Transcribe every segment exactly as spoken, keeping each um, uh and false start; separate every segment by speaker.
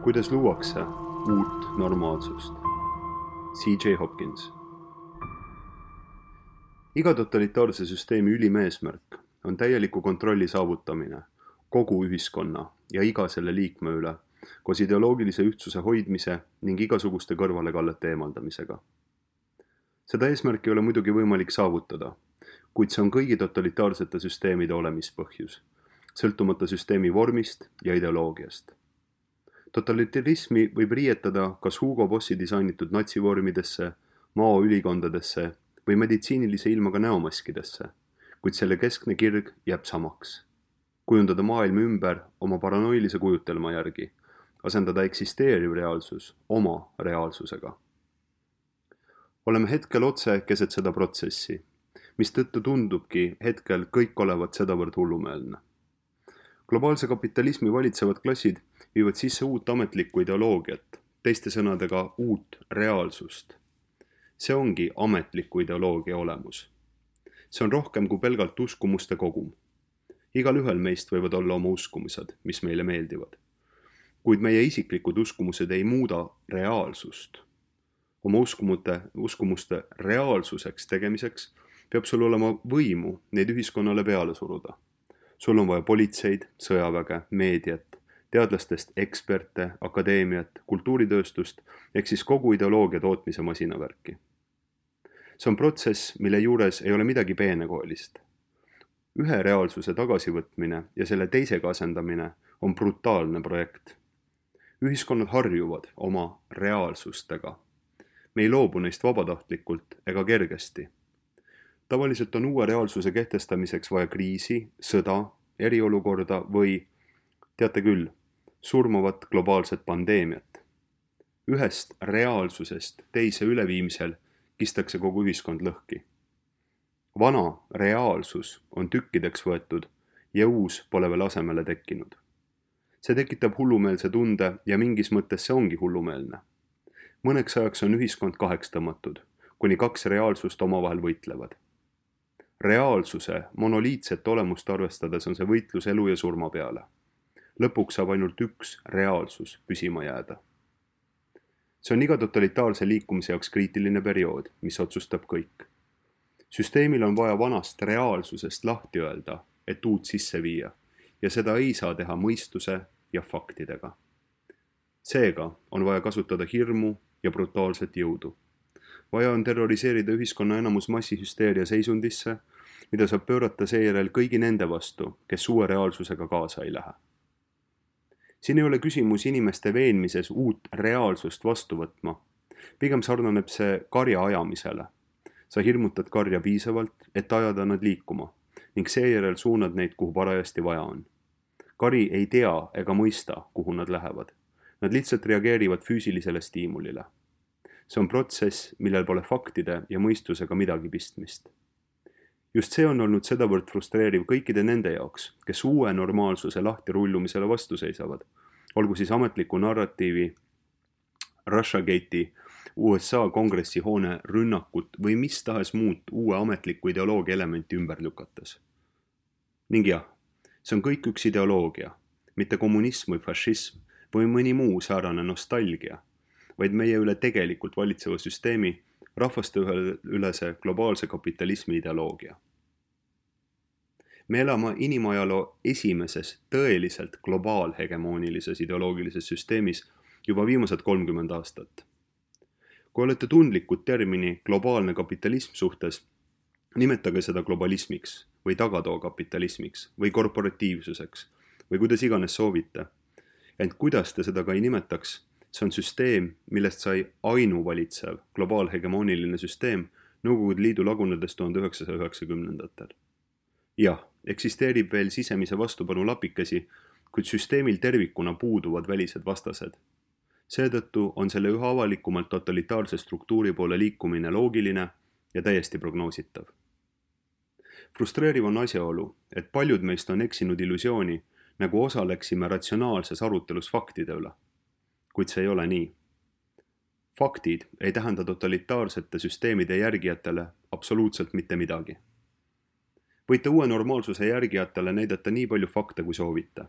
Speaker 1: Kuidas luuakse uut normaalsust? C J Hopkins. Iga totalitaarse süsteemi ülim eesmärk on täieliku kontrolli saavutamine kogu ühiskonna ja iga selle liikme üle, koos ideoloogilise ühtsuse hoidmise ning igasuguste kõrvalekallete eemaldamisega. Seda eesmärki ei ole muidugi võimalik saavutada, kuid see on kõigi totalitaarsete süsteemide olemispõhjus, sõltumata süsteemi vormist ja ideoloogiast. Totalitarismi võib riietada kas Hugo Bossi disainitud natsivormidesse, mao ülikondadesse või meditsiinilise ilmaga näomaskidesse, kuid selle keskne kirg jääb samaks. Kujundada maailm ümber oma paranoilise kujutelma järgi, asendada eksisteeriv reaalsus oma reaalsusega. Oleme hetkel otse keset seda protsessi, mis tõttu tundubki hetkel kõik olevat sedavõrd hullumeelne. Globaalse kapitalismi valitsevad klassid viivad sisse uut ametlikku ideoloogiat, teiste sõnadega uut reaalsust. See ongi ametliku ideoloogia olemus. See on rohkem kui pelgalt uskumuste kogum. Igal ühel meist võivad olla oma uskumused, mis meile meeldivad. Kuid meie isiklikud uskumused ei muuda reaalsust. Oma uskumuste, uskumuste reaalsuseks tegemiseks peab sul olema võimu neid ühiskonnale peale suruda. Sul on vaja politseid, sõjaväge, meediat, teadlastest eksperte, akadeemiat, kultuuritööstust ehk siis kogu ideoloogia tootmise masinavärki. See on protsess, mille juures ei ole midagi peenekoelist. Ühe reaalsuse tagasivõtmine ja selle teisega asendamine on brutaalne projekt. Ühiskonnad harjuvad oma reaalsustega. Me ei loobu neist vabatahtlikult ega kergesti. Tavaliselt on uue reaalsuse kehtestamiseks vaja kriisi, sõda, eriolukorda või, teate küll, surmavat globaalset pandeemiat. Ühest reaalsusest teise üleviimisel kistakse kogu ühiskond lõhki. Vana reaalsus on tükkideks võetud ja uus pole veel asemele tekkinud. See tekitab hullumeelse tunde ja mingis mõttes see ongi hullumeelne. Mõneks ajaks on ühiskond kaheks tõmmatud, kuni kaks reaalsust omavahel võitlevad. Reaalsuse monoliitset olemust arvestades on see võitlus elu ja surma peale. Lõpuks saab ainult üks reaalsus püsima jääda. See on iga totalitaarse liikumise jaoks kriitiline periood, mis otsustab kõik. Süsteemil on vaja vanast reaalsusest lahti öelda, et uut sisse viia, ja seda ei saa teha mõistuse ja faktidega. Seega on vaja kasutada hirmu ja brutaalset jõudu. Vaja on terroriseerida ühiskonna enamus massihüsteeria seisundisse, mida saab pöörata seejärel kõigi nende vastu, kes uue reaalsusega kaasa ei lähe. Siin ei ole küsimus inimeste veenmises uut reaalsust vastu võtma. Pigem sarnaneb see karja ajamisele. Sa hirmutad karja piisavalt, et ajada nad liikuma, ning seejärel suunad neid, kuhu parajasti vaja on. Kari ei tea ega mõista, kuhu nad lähevad. Nad lihtsalt reageerivad füüsilisele stiimulile. See on protsess, millel pole faktide ja mõistusega midagi pistmist. Just see on olnud sedavõrd frustreeriv kõikide nende jaoks, kes uue normaalsuse lahtirullumisele vastu seisavad, olgu siis ametliku narratiivi, Russiagate'i, U S A kongressi hoone rünnakut või mis tahes muud uue ametliku ideoloogia elementi ümber lükates. Ning jah, see on kõik üks ideoloogia, mitte kommunism või fašism või mõni muu säärane nostalgia, vaid meie üle tegelikult valitseva süsteemi rahvaste ülese globaalse kapitalismi ideoloogia. Me elame inimajaloo esimeses tõeliselt globaalhegemoonilises ideoloogilises süsteemis juba viimased kolmkümmend aastat. Kui olete tundlikud termini globaalne kapitalism suhtes, nimetage seda globalismiks või tagatoo kapitalismiks või korporatiivsuseks või kuidas iganes soovite. Ent kuidas te seda ka ei nimetaks, see on süsteem, millest sai ainuvalitsev globaalhegemooniline süsteem Nõukogude Liidu lagunedes tuhande üheksasaja üheksakümnendatel. Jah, eksisteerib veel sisemise vastupanu lapikesi, kuid süsteemil tervikuna puuduvad välised vastased. Seetõttu on selle üha avalikumalt totalitaarse struktuuri poole liikumine loogiline ja täiesti prognoositav. Frustreeriv on asjaolu, et paljud meist on eksinud illusiooni, nagu osaleksime ratsionaalses arutelus faktide üle. Kuid see ei ole nii. Faktid ei tähenda totalitaarsete süsteemide järgijatele absoluutselt mitte midagi. Võite uue normaalsuse järgijatele näidata nii palju fakte, kui soovite.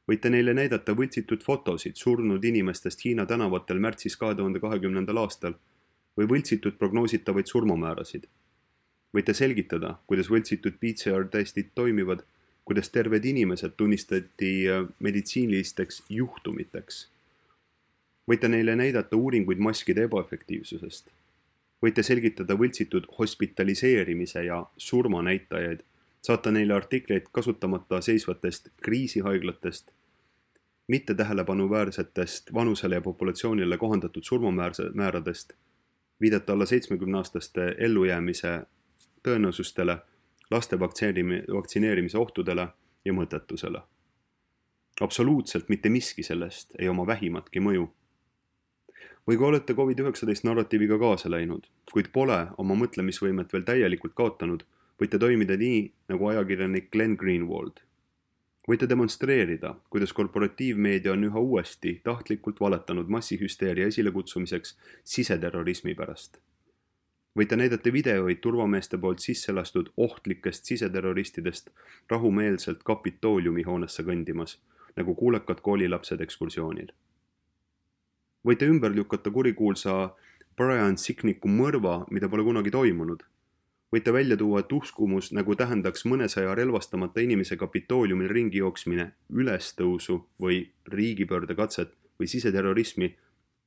Speaker 1: Võite neile näidata võltsitud fotosid surnud inimestest Hiina tänavatel märtsis kahe tuhande kahekümnendal aastal või võltsitud prognoositavaid surmamäärasid. Võite selgitada, kuidas võltsitud P C R testid toimivad, kuidas terved inimesed tunnistati meditsiinilisteks juhtumiteks. Võite neile näidata uuringuid maskide ebaefektiivsusest. Võite selgitada võltsitud hospitaliseerimise ja surmanäitajaid, saata neile artikleid kasutamata seisvatest kriisihaiglatest, mitte tähelepanuväärsetest vanusele ja populatsioonile kohandatud surmamääradest, viidata alla seitsmekümne-aastaste ellujäämise tõenäosustele, laste vaktsineerimise ohtudele ja mõttetusele. Absoluutselt mitte miski sellest ei oma vähimatki mõju. Või kui olete covid üheksateist narratiiviga kaasa läinud, kuid pole oma mõtlemisvõimet veel täielikult kaotanud, võite toimida nii, nagu ajakirjanik Glenn Greenwald. Võite demonstreerida, kuidas korporatiivmeedia on üha uuesti tahtlikult valetanud massihüsteeria esilekutsumiseks siseterrorismi pärast. Võite näidata videoid turvameeste poolt sisse lastud ohtlikest siseterroristidest rahumeelselt Kapitooliumi hoonesse kõndimas, nagu kuulekad koolilapsed ekskursioonil. Võite ümber lükata kurikuulsa Brian Sicknicku mõrva, mida pole kunagi toimunud. Võite välja tuua, et uskumus, nagu tähendaks mõnesaja relvastamata inimese Kapitooliumil ringi jooksmine, ülestõusu või riigipöörde katset või siseterrorismi,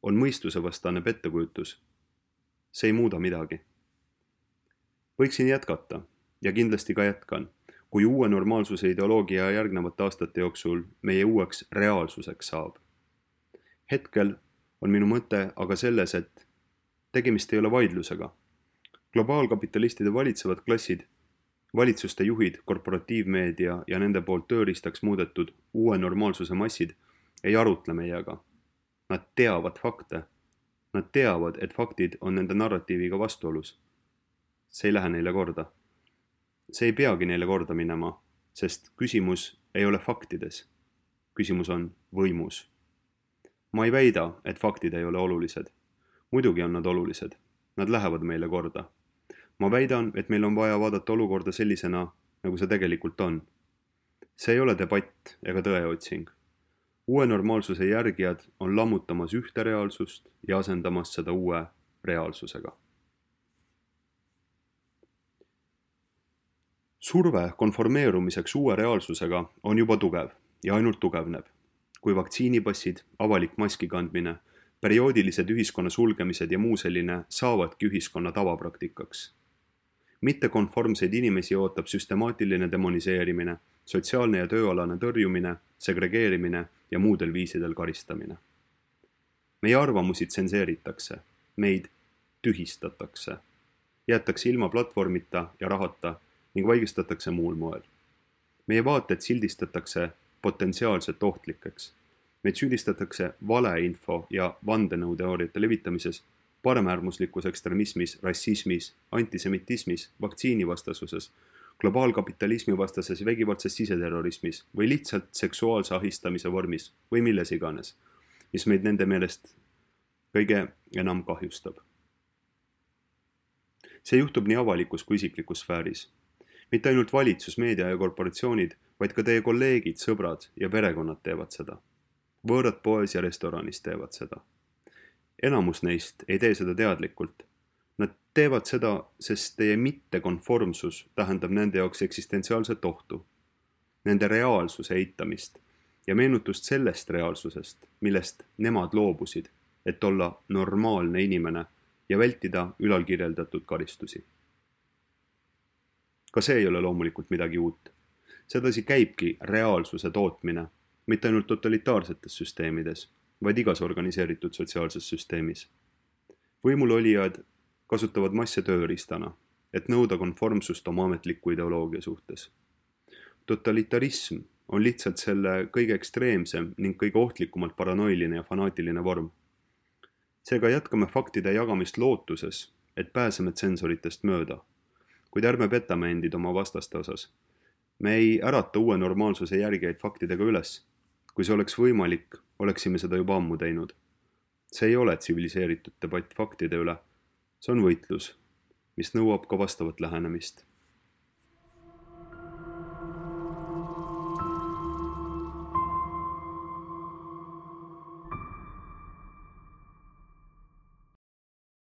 Speaker 1: on mõistusevastane pettekujutus. See ei muuda midagi. Võiksin jätkata ja kindlasti ka jätkan, kui uue normaalsuse ideoloogia järgnevate aastate jooksul meie uueks reaalsuseks saab. Hetkel on minu mõte aga selles, et tegemist ei ole vaidlusega. Globaalkapitalistide valitsevad klassid, valitsuste juhid, korporatiivmeedia ja nende poolt tööriistaks muudetud uue normaalsuse massid ei arutle meiega. Nad teavad fakte. Nad teavad, et faktid on nende narratiiviga vastuolus. See ei lähe neile korda. See ei peagi neile korda minema, sest küsimus ei ole faktides. Küsimus on võimus. Ma ei väida, et faktid ei ole olulised. Muidugi on nad olulised. Nad lähevad meile korda. Ma väidan, et meil on vaja vaadata olukorda sellisena, nagu see tegelikult on. See ei ole debatt ega tõeotsing. Uue normaalsuse järgijad on lammutamas ühte reaalsust ja asendamas seda uue reaalsusega. Surve konformeerumiseks uue reaalsusega on juba tugev ja ainult tugevneb, kui vaktsiinipassid, avalik maski kandmine, perioodilised ühiskonna sulgemised ja muu selline saavadki ühiskonna tavapraktikaks. Mittekonformseid inimesi ootab süstemaatiline demoniseerimine, sotsiaalne ja tööalane tõrjumine, segregeerimine ja muudel viisidel karistamine. Meie arvamusi tsenseeritakse, meid tühistatakse, jäetakse ilma platvormita ja rahata ning vaigistatakse muul moel. Meie vaated sildistatakse potentsiaalselt ohtlikeks. Meid süüdistatakse valeinfo ja vandenõuteooriate levitamises, paremäärmuslikus ekstremismis, rassismis, antisemitismis, vaktsiinivastasuses, globaalkapitalismi vastases vägivaldses siseterrorismis või lihtsalt seksuaalse ahistamise vormis või milles iganes, mis meid nende meelest kõige enam kahjustab. See juhtub nii avalikus kui isiklikus sfääris. Mitte ainult valitsus, meedia ja korporatsioonid, vaid ka teie kolleegid, sõbrad ja perekonnad teevad seda. Võõrad poes ja restoranis teevad seda. Enamus neist ei tee seda teadlikult. Nad teevad seda, sest teie mittekonformsus tähendab nende jaoks eksistentsiaalset ohtu, nende reaalsuse eitamist ja meenutust sellest reaalsusest, millest nemad loobusid, et olla normaalne inimene ja vältida ülalkirjeldatud karistusi. Ka see ei ole loomulikult midagi uut. Sedasi käibki reaalsuse tootmine, mitte ainult totalitaarsetes süsteemides, vaid igas organiseeritud sotsiaalses süsteemis. Võimul olijad kasutavad masse tööriistana, et nõuda konformsust oma ametliku ideoloogia suhtes. Totalitarism on lihtsalt selle kõige ekstreemsem ning kõige ohtlikumalt paranoiline ja fanaatiline vorm. Seega jätkame faktide jagamist lootuses, et pääseme tsensoritest mööda, kuid ärme petame endid oma vastaste osas. Me ei ärata uue normaalsuse järgijaid faktidega üles. Kui see oleks võimalik, oleksime seda juba ammu teinud. See ei ole tsiviliseeritud debatt faktide üle. See on võitlus, mis nõuab ka vastavat lähenemist.